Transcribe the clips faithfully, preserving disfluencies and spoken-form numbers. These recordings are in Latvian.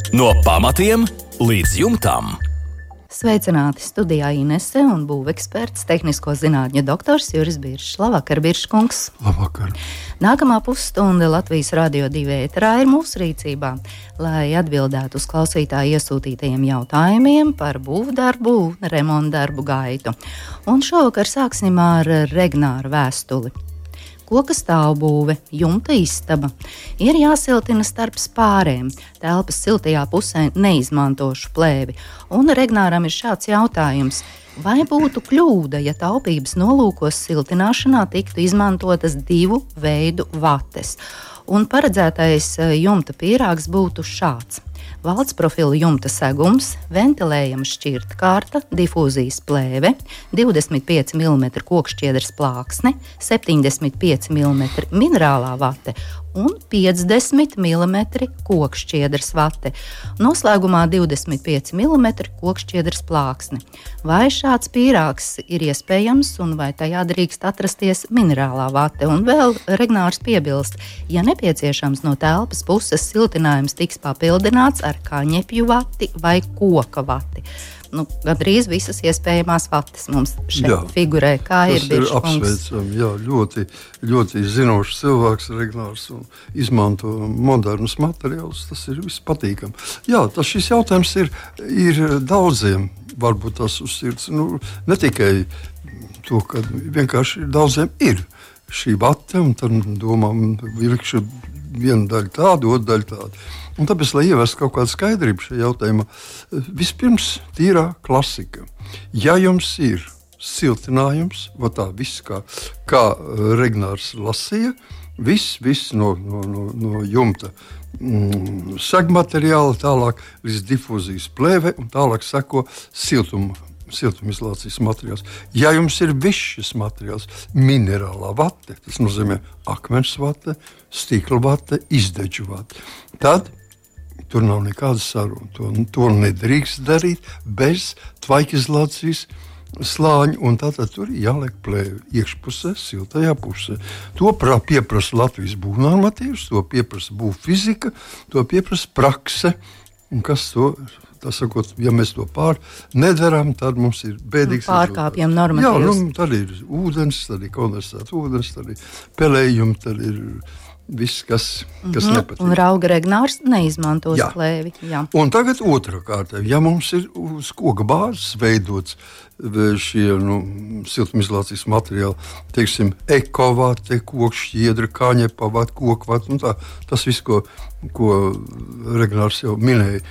No pamatiem līdz jumtam. Sveicināti studijā Inese un būveksperts, tehnisko zinātņu doktors Juris Biršs. Labvakar, Birškungs. Labvakar. Nākamā pusstunda Latvijas Radio divi ēterā ir mūsu rīcībā, lai atbildētu uz klausītāju iesūtītajiem jautājumiem par būvdarbu un remontdarbu gaitu. Un šovakar sāksim ar Regnāra vēstuli. Koka stāvbūve, jumta istaba. Ir jāsiltina starp spārēm, telpas siltajā pusē neizmantošu plēvi. Un Regnāram ir šāds jautājums. Vai būtu kļūda, ja taupības nolūkos siltināšanā tiktu izmantotas divu veidu vates? Un paredzētais jumta pīrāgs būtu šāds. Valsts profila jumta segums, ventilējama šķirtkārta, difūzijas plēve, divdesmit pieci milimetri kokšķiedras plāksne, septiņdesmit pieci milimetri minerālā vate un piecdesmit milimetri kokšķiedras vate. Noslēgumā divdesmit pieci milimetri kokšķiedras plāksne. Vai šāds pīrāgs ir iespējams un vai tajā drīkst atrasties minerālā vate? Un vēl Regnārs piebilst, ja nepieciešams no telpas puses siltinājums tiks papildināts ar kaņepju vati vai koka vati. Nu, gandrīz visas iespējamās vates mums šeit jā, figurē. Kā ir Birškungs? Tas ir apsveicami, jā, ļoti, ļoti zinošs cilvēks Regnārs un izmanto modernus materiālus, tas ir vispatīkam. Jā, tas šis jautājums ir, ir daudziem, varbūt tas uz sirds, nu, ne tikai to, ka vienkārši daudziem ir šī vate, un tad domām, vilkšu vienu daļu tādu, otru daļu tādu. Un tāpēc, lai ievestu kaut kādu skaidrību šajā jautājumā, vispirms tīrā klasika. Ja jums ir siltinājums, va tā viss, kā, kā Regnārs lasīja, viss, viss no, no, no, no jumta mm, segmateriāla, tālāk līdz difūzijas plēve un tālāk seko siltuma. siltumizolācijas materiāls. Ja jums ir viss šis materiāls, minerālā vate, tas nozīmē akmens vate, stikla vate, izdedžu vate, tad tur nav nekādas sarunas. To, to nedrīkst darīt bez tvaikizolācijas slāņa, un tātad tur jāliek plēvi iekšpusē, siltajā pusē. To pieprasa Latvijas būvnormatīvs, to pieprasa būvfizika, to pieprasa prakse, un kas to tā sakot, ja mēs to pār nedarām, tad mums ir bēdīgs pārkāpjam normatīvus. Jā, nu, tad ir ūdens, tad ir kondensēts ūdens, tad ir pelējumi, tad ir viss, kas, kas mm-hmm. nepatīk. Un rauga Regnārs neizmantos jā. plēvi. Jā. Un tagad otrā kārta. Ja mums ir uz koka bāzes veidots šie nu, siltumizolācijas materiāli, teiksim, ekovate, kokšķiedra, kaņepavate, kokvate, nu tā, tas viss, ko, ko Regnārs jau minēja,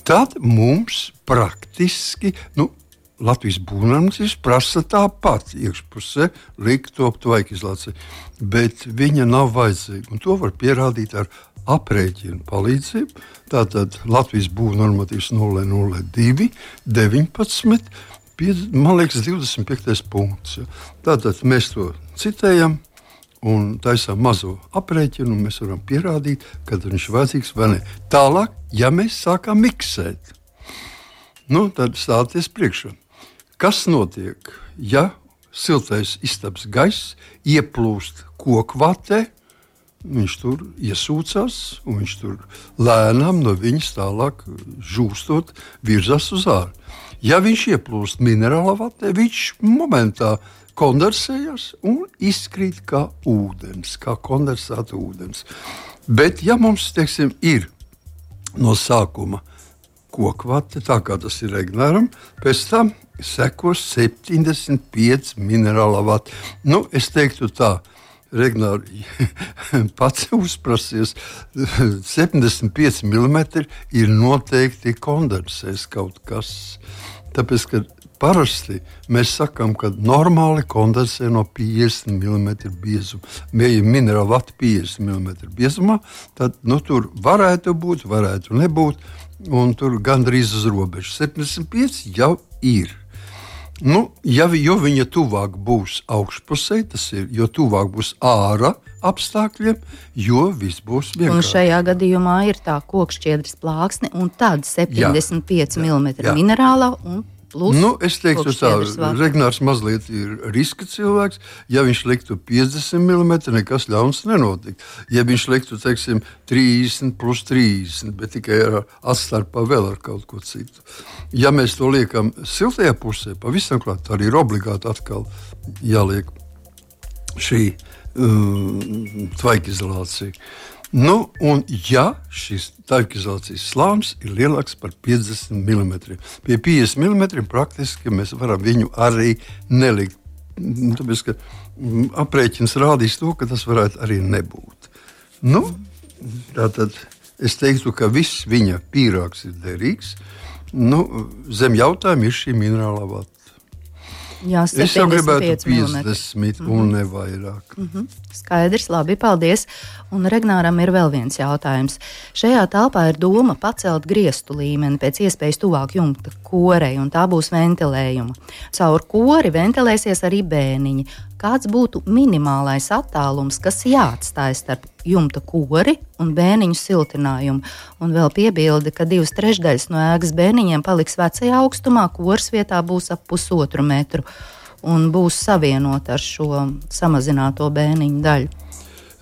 tad mums praktiski, nu, Latvijas būvnormatīvs prasa tāpat iekšpusē likt to tvaikizolāciju, bet viņa nav vajadzīga. Un to var pierādīt ar aprēķinu palīdzību. Tātad Latvijas būvnormatīvs nulle nulle divi deviņpadsmit, man liekas, divdesmit piektais punkts. Tātad mēs to citējam un taisām mazo aprēķinu, un mēs varam pierādīt, kad viņš ir vajadzīgs vai ne. Tālāk, ja mēs sākam miksēt, nu, tad stāties priekšā. Kas notiek, ja siltais istabas gaiss ieplūst kokvatē, viņš tur iesūcās, un viņš tur lēnām no viņas tālāk žūstot virzās uz āru. Ja viņš ieplūst minerālā vatē, viņš momentā kondensējās un izkrīt kā ūdens, kā kondensēta ūdens. Bet ja mums, teiksim, ir no sākuma kokvate, tā kā tas ir Regnāram, pēc tam sekos septiņdesmit pieci minerālā vate. Nu, es teiktu tā, Regnāri pats uzprasies, septiņdesmit pieci milimetri ir noteikti kondensēs kaut kas. Tāpēc, ka parasti mēs sakām, ka normāli kondensē no piecdesmit milimetru biezuma. Ja minerāla vata piecdesmit milimetru biezumā, tad nu, tur varētu būt, varētu nebūt, un tur gandrīz uz robežu. septiņdesmit pieci jau ir. Nu, ja, jo viņa tuvāk būs augšpusē, tas ir, jo tuvāk būs ārā apstākļiem, jo viss būs vienkārši. Un šajā gadījumā ir tā kokšķiedras plāksne un tad septiņdesmit pieci milimetri minerālā un Plus, nu, es teiktu tā, kokšķiedras Regnārs mazliet ir riska cilvēks. Ja viņš liktu piecdesmit milimetri, nekas ļauns nenotikt. Ja viņš liktu, teiksim, trīsdesmit plus trīsdesmit, bet tikai ar atstarpā vēl ar kaut ko citu. Ja mēs to liekam siltajā pusē, pavisam klāt, tā arī ir obligāti atkal jāliek šī um, tvaikizolācija. Nu, un ja šis tvaikizolācijas slānis ir lielāks par piecdesmit milimetriem, pie piecdesmit milimetriem praktiski mēs varam viņu arī nelikt. Tāpēc, ka aprēķins rādīs to, ka tas varētu arī nebūt. Nu, tātad es teiktu, ka viss viņa pīrāgs ir derīgs. Nu, zem jautājuma ir šī minerālā vata. Jā, es jau gribētu piecdesmit piecdesmit mm-hmm. un ne vairāk. Mm-hmm. Skaidrs, labi, paldies. Un Regnāram ir vēl viens jautājums. Šajā telpā ir doma pacelt griestu līmeni pēc iespējas tuvāk jumta korei, un tā būs ventilējuma. Caur kori ventilēsies arī bēniņi. Kāds būtu minimālais attālums, kas jāatstāj starp jumta kori un bēniņu siltinājumu? Un vēl piebildi, ka divas trešdaļas no ēkas bēniņiem paliks vecajā augstumā, koras vietā būs ap pusotru metru un būs savienota ar šo samazināto bēniņu daļu.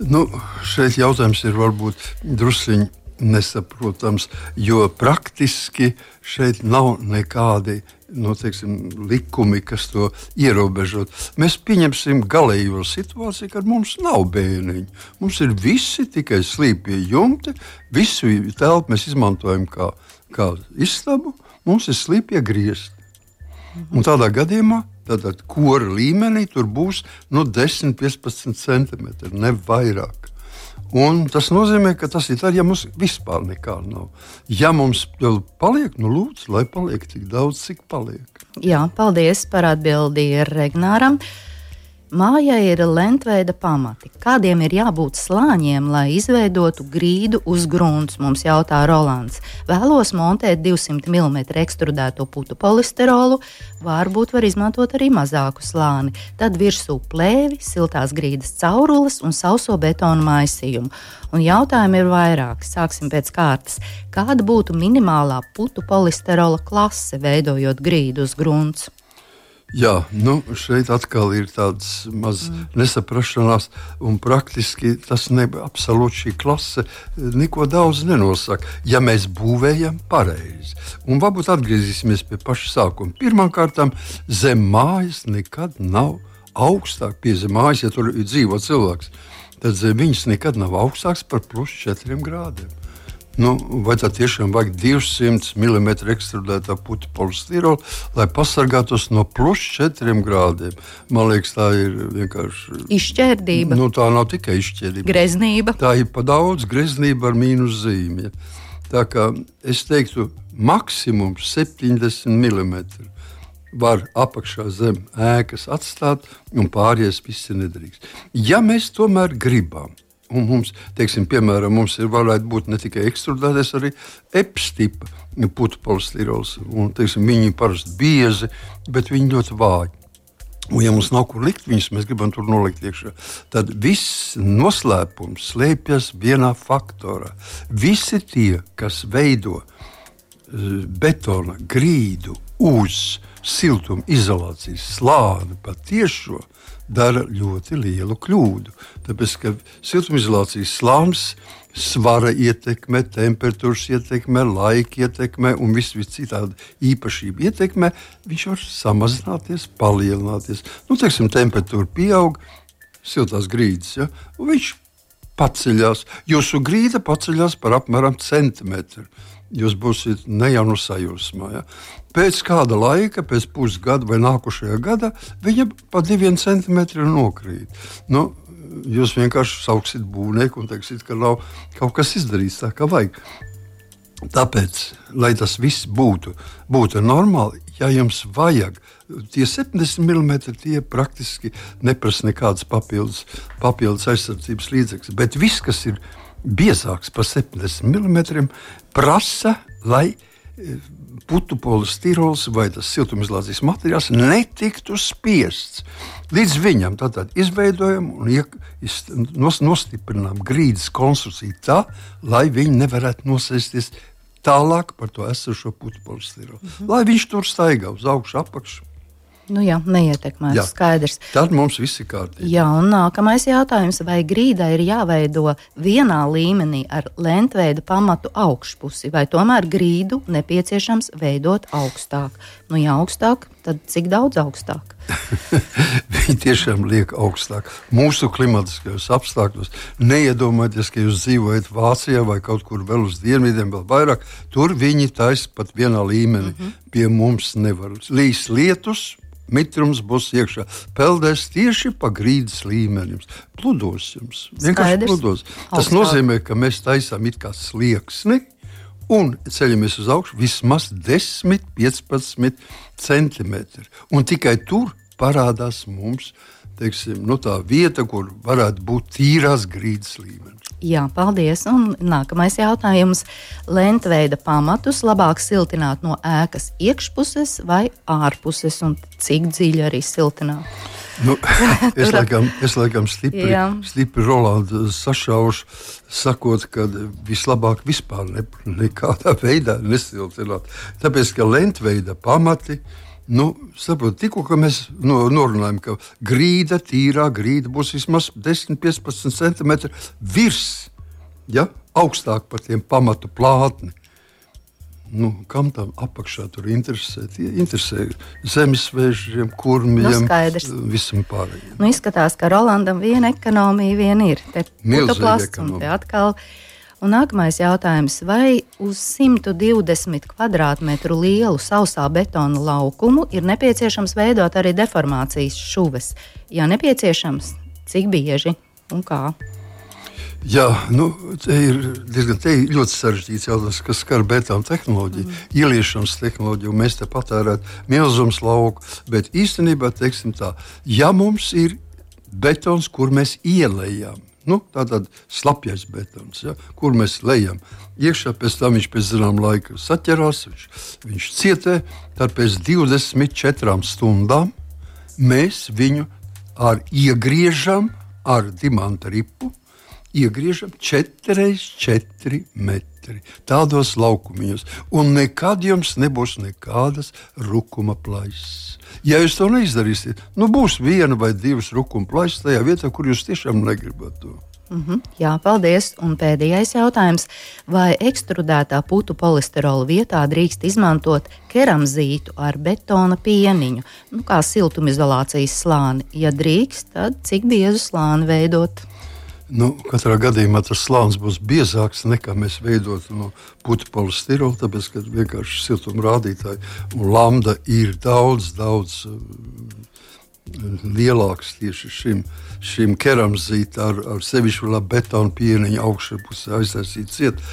Nu, šeit jautājums ir varbūt drusciņi nesaprotams, jo praktiski šeit nav nekādi nu, teiksim, likumi, kas to ierobežot. Mēs pieņemsim galējo situāciju, kad mums nav bēniņu. Mums ir visi tikai slīpie jumti, visu telpu mēs izmantojam kā, kā istabu, mums ir slīpie griezti. Un tādā gadījumā tātad kora līmenī tur būs nu, desmit līdz piecpadsmit centimetri, ne vairāk. Un tas nozīmē, ka tas ir tad, ja mums vispār nekā nav. Ja mums vēl paliek, nu lūdzu, lai paliek tik daudz, cik paliek. Jā, paldies par atbildi Regnāram. Mājai ir lentveida pamati. Kādiem ir jābūt slāņiem, lai izveidotu grīdu uz grunts, mums jautā Rolands. Vēlos montēt divsimt milimetru ekstrudēto putu polisterolu, varbūt var izmantot arī mazāku slāni. Tad virsū plēvi, siltās grīdas caurules un sauso betonu maisījumu. Un jautājumi ir vairāki. Sāksim pēc kārtas. Kāda būtu minimālā putu polisterola klase, veidojot grīdu uz grunts? Jā, nu, šeit atkal ir tādas maz mm. nesaprašanās, un praktiski tas ne, absolūti šī klase neko daudz nenosaka, ja mēs būvējam pareizi. Un varbūt atgriezīsimies pie paša sākuma. Pirmkārtām, zem mājas nekad nav augstāk pie zem mājas, ja tur dzīvo cilvēks, tad zem viņas nekad nav augstāks par plus četriem grādiem. Nu, vai tā tiešām vajag divsimt milimetru ekstrudētā putu polistirola, lai pasargātos no plus četriem grādiem? Man liekas, tā ir vienkārši izšķērdība. Nu, tā nav tikai izšķērdība. Greznība. Tā ir pa daudz greznība ar mīnus zīmi. Tā kā es teiktu, maksimums septiņdesmit milimetri var apakšā zem ēkas atstāt, un pārējais viss ir nedrīkst. Ja mēs tomēr gribam, un mums, teiksim, piemēram, mums ir varētu būt ne tikai ekstrudētais, arī epstipa putu polistirols. Un, teiksim, viņi parasti biezi, bet viņi ļoti vāji. Un, ja mums nav kur likt viņus, mēs gribam tur nolikt iekšā, tad viss noslēpums slēpjas vienā faktorā. Visi tie, kas veido betona grīdu uz siltuma izolācijas slāni patiešo, dara ļoti lielu kļūdu. Tāpēc, ka siltumizolācijas slānis svara ietekmē, temperatūras ietekmē, laika ietekmē un visu citādi īpašību ietekmē, viņš var samazināties, palielināties. Nu, teiksim, temperatūra pieaug, siltās grīdas, ja, un viņš paceļās. Jūsu grīda paceļās par apmēram centimetru. Jūs būsiet ne jau no sajūsmā. Ja? Pēc kāda laika, pēc pusgada vai nākošajā gadā, viņa pa diviem centimetriem nokrīt. Nu, jūs vienkārši sauksiet būvnieku un teiksiet, ka nav kaut kas izdarīts tā, kā vajag. Tāpēc, lai tas viss būtu, būtu normāli, ja jums vajag, tie septiņdesmit milimetri tie praktiski neprasa nekādas papildus, papildus aizsardzības līdzekļus. Bet viss, kas ir biezāks par septiņdesmit milimetriem, prasa, lai putu polistirols vai tas siltumizolācijas materiāls netiktu spiests. Līdz viņam tātad izveidojam un iek, nostiprinām grīdas konstrukciju tā, lai viņi nevarētu nosēsties tālāk par to esošo putu polistirolu. Mm-hmm. Lai viņš tur staigā uz augšu, apakšu. Nu jā, neietekmēs, skaidrs. Tad mums viss ir kārtībā. Jā, un nākamais jautājums, vai grīdai ir jāveido vienā līmenī ar lentveida pamatu augšpusi, vai tomēr grīdu nepieciešams veidot augstāk? Nu, ja augstāk, tad cik daudz augstāk? Viņi tiešām liek augstāk. Mūsu klimatiskajos apstākļos neiedomājieties, ka jūs dzīvojat Vācijā vai kaut kur vēl uz dienvidiem, vēl vairāk. Tur viņi taisa pat vienā līmenī. Mm-hmm. Pie mums nevar. Līs lietus, mitrums būs iekšā. Peldēs tieši pa grīdas līmenim. Pludos jums. Vienkārši pludos. Tas augstāk. Nozīmē, ka mēs taisām it kā slieksni un ceļamies uz augšu vismaz desmit līdz piecpadsmit centimetri. Un tikai tur parādās mums, teiksim, nu tā vieta, kur varētu būt tīrās grīdas līmenis. Jā, paldies. Un nākamais jautājums. Lentveida pamatus labāk siltināt no ēkas iekšpuses vai ārpuses, un cik dziļi arī siltināt? Nu, es, laikam, es laikam stipri, stipri Rolandu sašaušu, sakot, ka vislabāk vispār ne, nekādā veidā nesiltināt. Tāpēc, ka lentveida pamati, nu, saprot, tikko, ka mēs no, norunājam, ka grīda, tīrā grīda būs vismaz desmit līdz piecpadsmit centimetri virs, ja, augstāk par tiem pamatu plātni. Nu, kam tam apakšā tur interesē? Interesē zemesvēžiem, kurmiem, nu, visam pārējiem. Nu, izskatās, ka Rolandam viena ekonomija vien ir. Te putoplasts un te atkal. Un nākamais jautājums. Vai uz simt divdesmit kvadrātmetru lielu sausā betona laukumu ir nepieciešams veidot arī deformācijas šuves? Ja nepieciešams, cik bieži un kā? Jā, nu, te ir diezgan te ir ļoti sarežģīts jautājums, kas skar betona tehnoloģiju, mm. ieliešanas tehnoloģiju, un mēs te patērētu milzums lauku, bet īstenībā, teiksim tā, ja mums ir betons, kur mēs ielējam, nu, tātad slapjais betons, ja, kur mēs lejam iekšā, pēc tam viņš pēc zinām laika saķerās, viņš, viņš cietē, tad pēc divdesmit četrām stundām mēs viņu ar iegriežam ar dimanta ripu, iegriežam četri reiz četri metri tādos laukumiņos, un nekad jums nebūs nekādas rukuma plaisas. Ja jūs to neizdarīsiet, nu būs viena vai divas rukuma plaisas tajā vietā, kur jūs tiešām negribat to. Mm-hmm. Jā, paldies. Un pēdējais jautājums. Vai ekstrudētā putu polisterola vietā drīkst izmantot keramzītu ar betona pieniņu, nu, kā siltumizolācijas slāni? Ja drīkst, tad cik biezu slāni veidot? Nu, katrā gadījumā tas slānis būs biezāks nekā mēs veidotu no putu polistirola, tāpēc, ka vienkārši siltuma rādītāji un lambda ir daudz, daudz uh, lielāks tieši šim, šim keramzīta ar, ar sevišķi vēl betona pieniņu augšā pusē aiztaisīt ciet.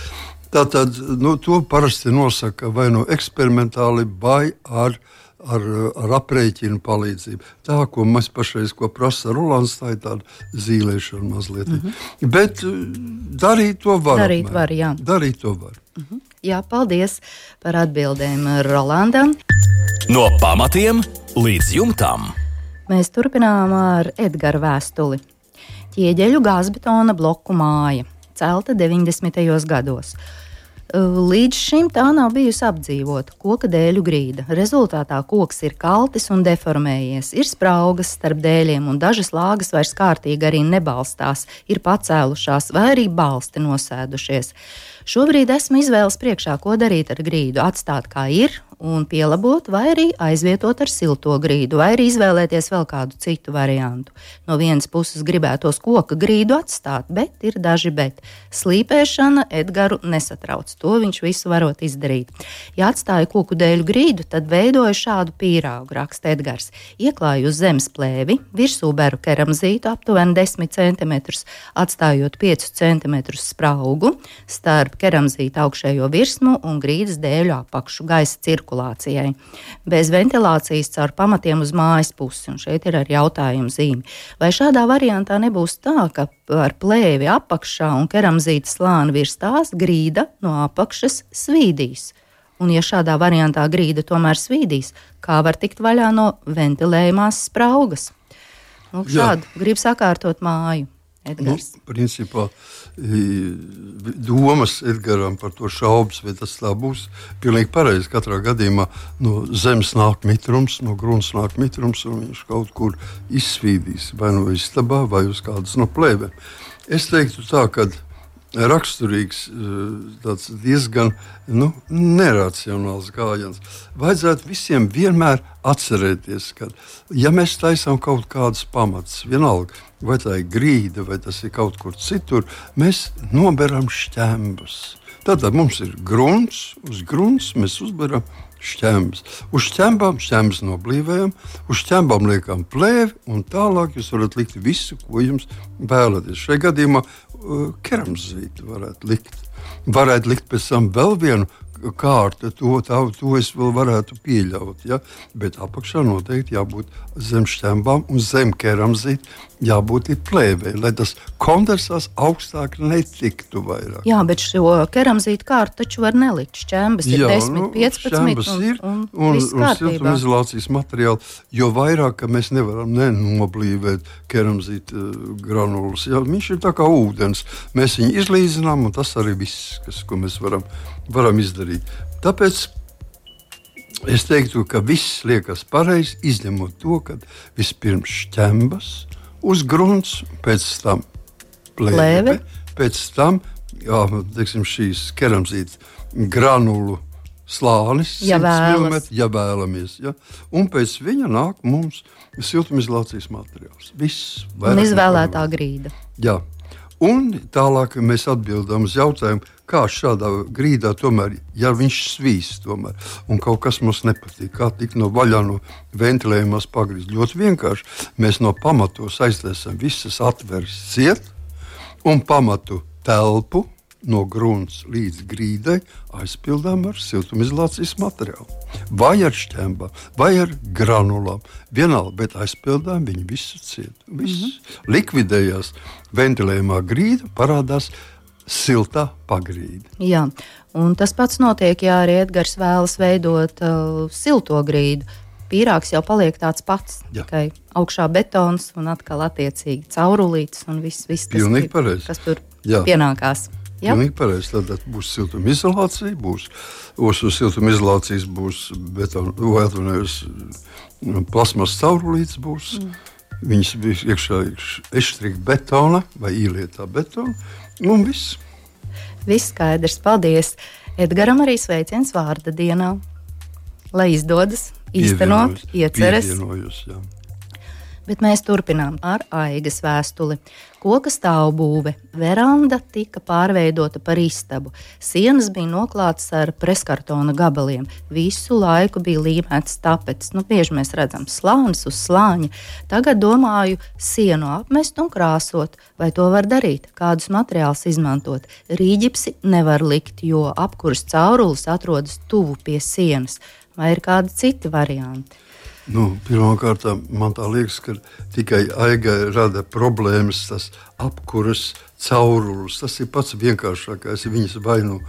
Tātad, nu, to parasti nosaka vai no eksperimentāli vai ar Ar, ar aprēķinu palīdzību. Tā, ko mēs pašreiz, ko prasa Rolands, tā ir tāda zīlēšana mazliet. Mm-hmm. Bet darīt to var. Darīt var, jā. Darīt to var. Mm-hmm. Jā, paldies par atbildēm Rolandam. No pamatiem līdz jumtam. Mēs turpinām ar Edgara vēstuli. Ķieģeļu gāzbetona bloku māja, celta deviņdesmitajos gados. Līdz šim tā nav bijusi apdzīvota, koka dēļu grīda. Rezultātā koks ir kaltis un deformējies, ir spraugas starp dēļiem un dažas lāgas vairs kārtīgi arī nebalstās, ir pacēlušās vai arī balsti nosēdušies. Šobrīd esmu izvēles priekšā, ko darīt ar grīdu, atstāt kā ir un pielabot, vai arī aizvietot ar silto grīdu, vai arī izvēlēties vēl kādu citu variantu. No vienas puses gribētos koka grīdu atstāt, bet ir daži bet. Slīpēšana Edgaru nesatrauc, to viņš visu varot izdarīt. Ja atstāju koku dēļu grīdu, tad veidoju šādu pīrāgu, raksta Edgars. Ieklāju uz zemes plēvi, virsū beru keramzītu aptuveni desmit centimetrus, atstājot piecus centimetrus spraugu starp keramzīta augšējo virsmu un grīdas dēļu apakšu gaisa cirkulācijai. Bez ventilācijas caur pamatiem uz mājas pusi, un šeit ir ar jautājumu zīmi. Vai šādā variantā nebūs tā, ka ar plēvi apakšā un keramzīta slāni virs tās grīda no apakšas svīdīs? Un ja šādā variantā grīda tomēr svīdīs, kā var tikt vaļā no ventilējumās spraugas? Nu, šādu grib sakārtot māju. Edgars. Nu, principā domas Edgaram par to šaubas, vai tas tā būs pilnīgi pareizi. Katrā gadījumā no zemes nāk mitrums, no grunas nāk mitrums, un viņš kaut kur izsvīdīs, vai no istabā, vai uz kādas no plēvēm. Es teiktu tā, ka raksturīgs, tāds diezgan nu, neracionāls gājiens. Vajadzētu visiem vienmēr atcerēties, ka, ja mēs taisām kaut kādus pamatus, vienalga, vai tā ir grīda, vai tas ir kaut kur citur, mēs noberam šķembus. Tātad mums ir grunts, uz grunts mēs uzberam šķembus. Uz šķembām šķembus noblīvējam, uz šķembām liekam plēvi, un tālāk jūs varat likt visu, ko jums vēlaties. Šajā gadījumā keramzīti varētu likt. Varētu likt pēc tam vēl vienu kārtu, to, tā, to es vēl varētu pieļaut. Ja? Bet apakšā noteikti jābūt zem šķembām un zem keramzīti jābūt ir plēvei, lai tas kondensās augstāk netiktu vairāk. Jā, bet šo keramzītu kārtu taču var nelikt. Šķembas ir Jā, desmit, piecpadsmit nu, un, ir, un, un, viss un kārtībā. siltumizolācijas materiāli, jo vairāk, ka mēs nevaram nenoblīvēt keramzītu uh, granulas. Jā, viņš ir tā kā ūdens. Mēs viņu izlīdzinām, un tas arī viss, kas, ko mēs varam, varam izdarīt. Tāpēc es teiktu, ka viss liekas pareizi, izņemot to, ka vispirms šķembas uz grunts, pēc tam plēve, pēc tam jā, teiksim, šīs keramzītas granulu slānis, ja vēlas. Ja vēlamies. Ja? Un pēc viņa nāk mums siltumizolācijas materiāls. Viss. Un izvēlētā grīda. Jā. Un tālāk mēs atbildam uz jautājumu, kā šādā grīdā tomēr, ja viņš svīst tomēr, un kaut kas mums nepatīk, kā tik no vaļā no ventilējumās pagrīzt. Ļoti vienkārši. Mēs no pamatos aizliesam visas atveres ciet, un pamatu telpu no grunts līdz grīdai aizpildām ar siltumizolācijas materiālu. Vai ar šķembām, vai ar granulām. Vienalga, bet aizpildām viņu visu ciet. Viss mm-hmm. likvidējās ventilējumā grīda, parādās siltā pagrīde. Jā, un tas pats notiek, ja arī Edgars vēlas veidot uh, silto grīdu. Pīrāgs jau paliek tāds pats, Jā. tikai augšā betons un atkal attiecīgi caurulītes un viss, viss tas, Pilnīgi pareizi. kas tur Jā. pienākās. Jā. Pilnīgi pareizi. Tad būs siltumizolācija, būs uz siltumizolācijas būs betona, vai atvainojos, plasmas caurulītes būs. Mm. Viņas bija iekšā eštrika betona vai īlietā betona, un viss. Viss skaidrs, paldies. Edgaram arī sveiciens vārda dienā. Lai izdodas, īstenot, ieceres. Pievienojos, jā. Bet mēs turpinām ar Aigas vēstuli. Koka stāvbūve, veranda tika pārveidota par istabu. Sienas bija noklātas ar preskartona gabaliem. Visu laiku bija līmēts tapets. Nu, bieži mēs redzam slānis uz slāņa. Tagad domāju sienu apmest un krāsot. Vai to var darīt? Kādus materiālus izmantot? Rīģipsi nevar likt, jo apkuras caurulis atrodas tuvu pie sienas. Vai ir kādi citi varianti? Nu, pirmkārt, man tā liekas, ka tikai Aigai rada problēmas tas apkuras caurulis. Tas ir pats vienkāršākais. Viņas vai nu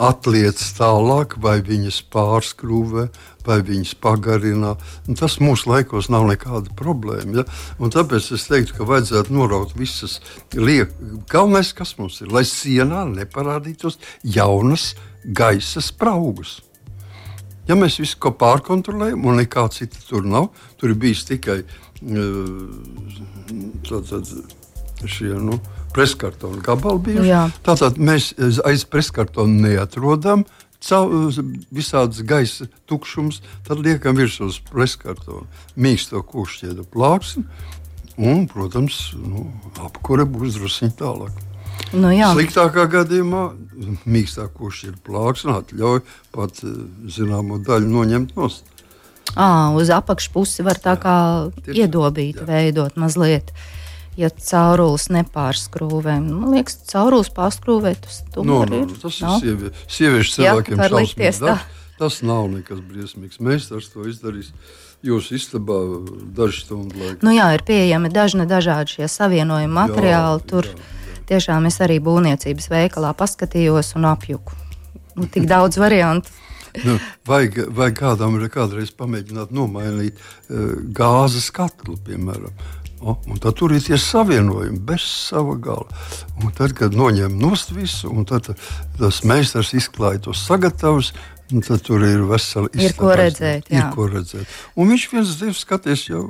atliec tālāk, vai viņas pārskrūvē, vai viņas pagarina. Un tas mūsu laikos nav nekāda problēma. Ja? Un tāpēc es teiktu, ka vajadzētu noraut visas liekas. Galvenais, kas mums ir, lai sienā neparādītos jaunas gaisa spraugas. Ja mēs visu ko pārkontrolējam, un nekā cita tur nav, tur ir bijis tikai tātad, šie nu, preskartona gabali bijuši. Tātad mēs aiz preskartona neatrodam visādas gaisa tukšums, tad liekam virsū uz preskartona mīksto kokšķiedu plāksni, un, protams, nu, apkure būs drusciņ tālāk. Nu, Sliktākā gadījumā mīkstā kokšķiedu plāksne atļauj pat zināmo daļu noņemt nost. À, uz apakšpusi var tā kā jā, iedobīt, jā. veidot mazliet, ja caurulis nepārskrūvē. Man liekas, caurulis pārskrūvē, tas tomēr no, no, ir. Tas no? ir sievie, sieviešu cilvēkiem jā, šausmīgs darbs. Tas nav nekas briesmīgs. Meistars to izdarīs jūsu istabā dažu stundu laikā. Nu jā, ir pieejami dažni dažādi šie savienojumi materiāli. Jā, tur jā, jā. Tiešām es arī būvniecības veikalā paskatījos un apjuku. Nu, tik daudz variantu. Nu, vajag, vajag kādam kādreiz pamēģināt nomainīt uh, gāzes katlu, piemēram. O, un tad tur ir tie savienojumi bez sava gala. Un tad, kad noņem nost visu, un tad tas meistars izklāja to sagatavus, un tad tur ir vesela izstāde. Ir ko redzēt, jā. Ir ko redzēt. Un viņš viens divs skaties jau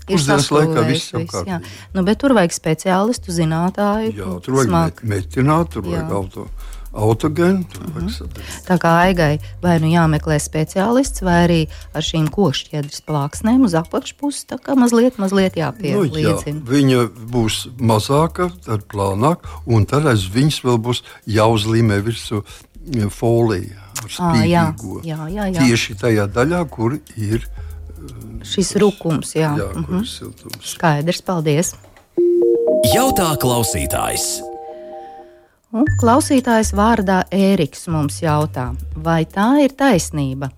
pusdienas laikā viss jau kārtīgi. Nu, bet tur vajag speciālistu, zinātāju. Jā, tur vajag metināt, tur vajag auto. Autogēnu, uh-huh. Tā kā Aigai vai nu jāmeklē speciālists, vai arī ar šīm kokšķiedras plāksnēm uz apakšpusi tā kā mazliet, mazliet jāpielīdzina. Nu, jā, viņa būs mazāka, tad plānāk, un tad aiz viņas vēl būs jāuzlīmē virsū folija ar spīdīgo. À, jā, jā, jā. Tieši tajā daļā, kur ir šis rukums, jā. Jā, kur uh-huh. ir siltums. Skaidrs, paldies. Jautā klausītājs. Un klausītājs vārdā Ēriks mums jautā, vai tā ir taisnība,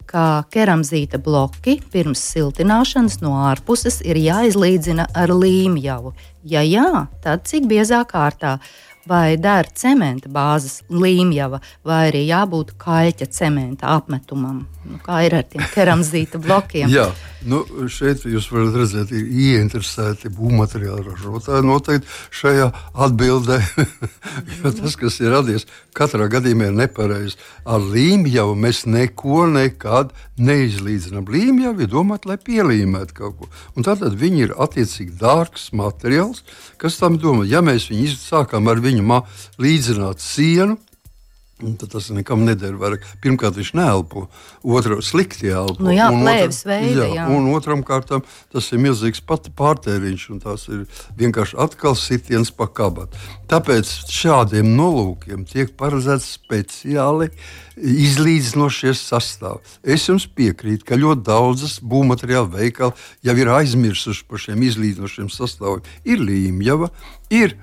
ka keramzīta bloki pirms siltināšanas no ārpuses ir jāizlīdzina ar līmjavu? Ja jā, tad cik biezā kārtā? Vai der cementa bāzes līmjava, vai arī jābūt kaļķa cementa apmetumam? Nu, kā ir ar tiem keramzīta blokiem? Jā, nu, šeit jūs varat redzēt, ir ieinteresēti būvmateriālu ražotāji noteikti šajā atbildē, jo tas, kas ir radies, katrā gadījumā ir nepareizi. Ar līmjavu mēs neko nekad neizlīdzinām. Līmjavu ir domāt, lai pielīmētu kaut ko. Un tātad viņi ir attiecīgi dārgs materiāls, kas tam domā. Ja mēs viņu sākām ar viņu mā, līdzināt sienu, tad tas nekam neder vairāk. Pirmkārt, viņš neelpo, otru slikti elpo. Nu jā, plēves veida, jā. Un otram kārtām tas ir milzīgs pat pārtēriņš, un tas ir vienkārši atkal sitiens pa kabatu. Tāpēc šādiem nolūkiem tiek paredzēts speciāli izlīdzinošies sastāvi. Es jums piekrītu, ka ļoti daudzas būvmateriālu veikali jau ir aizmirsuši par šiem izlīdzinošiem sastāviem. Ir līmjava, ir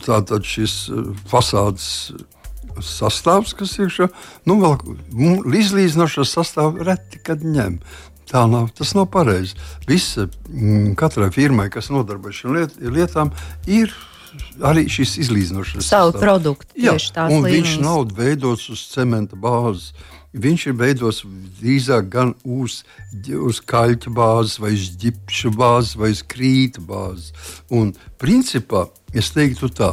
tātad šis fasādes sastāvs, kas ir šā, nu vēl izlīdzinošo sastāvu reti, kad ņem. Tā nav, tas nav pareizi. Visa, katrai firmai, kas nodarbojas šīm liet, lietām, ir arī šis izlīdzinošais savu produktu. Jā, tās un līnijas. Viņš nav veidots uz cementa bāzes. Viņš ir veidots drīzāk gan uz, uz kaļķa bāzes, vai uz ģipša bāzes, vai uz krīta bāzes. Un principā es teiktu tā,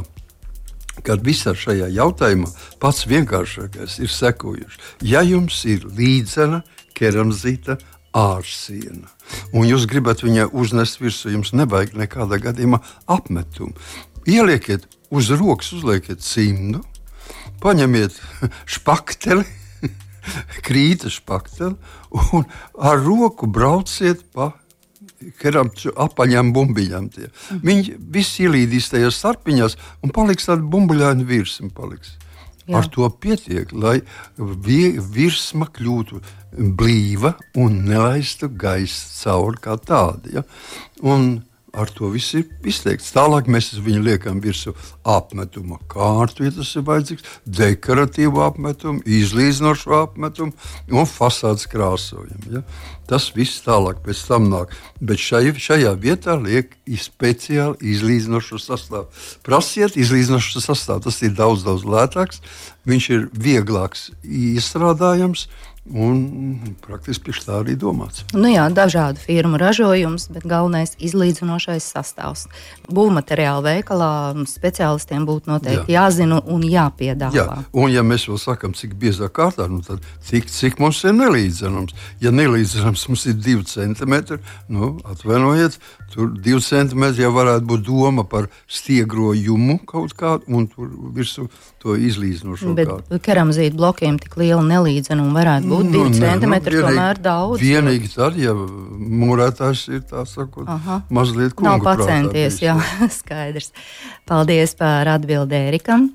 ka visā šajā jautājumā pats vienkāršākais ir sekojuši. Ja jums ir līdzena keramzīta ārsiena, un jūs gribat viņai uznest virsū, jums nevajag nekādā gadījumā apmetumu. Ielieciet uz rokas, uzlieciet cimdu, paņemiet špakteli, krīta špakteli, un ar roku brauciet pa keramču apaļām bumbiņām. Tie. Viņi visi ielīdīs tajās starpiņās un paliks tāda bumbuļaina virsma. Paliks. Ar to pietiek, lai virsma kļūtu blīva un nelaistu gaisu cauri kā tāda. Ja? Un ar to viss ir izteikts. Tālāk mēs viņu liekam virsū apmetuma kārtu, ja tas ir vajadzīgs, dekoratīvu apmetumu, izlīdzinošu apmetumu un fasādes krāsojumu. Ja? Tas viss tālāk pēc tam nāk. Bet šai, šajā vietā liek speciāli izlīdzinošu sastāvu. Prasiet izlīdzinošu sastāvu. Tas ir daudz, daudz lētāks. Viņš ir vieglāks iestrādājams. Un praktiski pie tā arī domāts. Nu jā, dažādu firmu ražojums, bet galvenais izlīdzinošais sastāvs. Būvmateriālu veikalā speciālistiem būtu noteikti jā. jāzina un jāpiedāvā. Jā, un ja mēs vēl sakam, cik biezā kārtā, nu tad cik, cik mums ir nelīdzenums. Ja nelīdzenums mums ir divi centimetri, nu atvainojiet, tur divi centimetri jau varētu būt doma par stiegrojumu kaut kādu, un tur virsū to izlīdzinošo kārtu. Bet keramzīta blokiem tik liela nelīdzenuma varētu būt. Nu, divi centimetri nu, tomēr daudz. Vienīgi tad, ja mūrētājs ir tā sakot, Aha. mazliet kungu nav pacenties, jā, skaidrs. Paldies par atbildi Ērikam.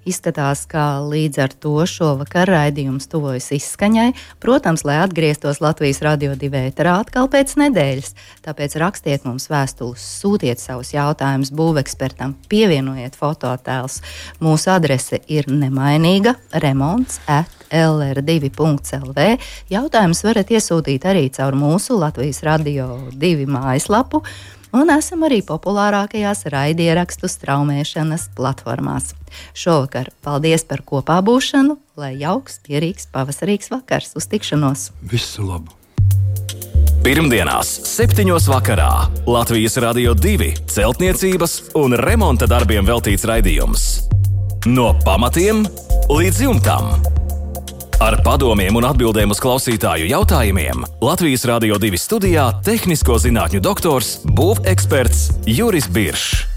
Izskatās, ka līdz ar to šovakar raidījums tuvojas izskaņai. Protams, lai atgrieztos Latvijas Radio divi ēterā atkal pēc nedēļas. Tāpēc rakstiet mums vēstules, sūtiet savus jautājumus būvekspertam, pievienojiet fototēlus. Mūsu adrese ir nemainīga remonts at l r divi punkts l v. Jautājumus varat iesūtīt arī caur mūsu Latvijas Radio divi mājaslapu. Un esam arī populārākajās raidierakstu straumēšanas platformās. Šovakar paldies par kopā būšanu, lai jauks, pierīgs, pavasarīgs vakars. Uz tikšanos! Visu labu! Pirmdienās, septiņos vakarā Latvijas Radio divi celtniecības un remonta darbiem veltīts raidījums. No pamatiem līdz jumtam. Ar padomiem un atbildēm uz klausītāju jautājumiem Latvijas Radio divi studijā tehnisko zinātņu doktors, būveksperts Juris Biršs.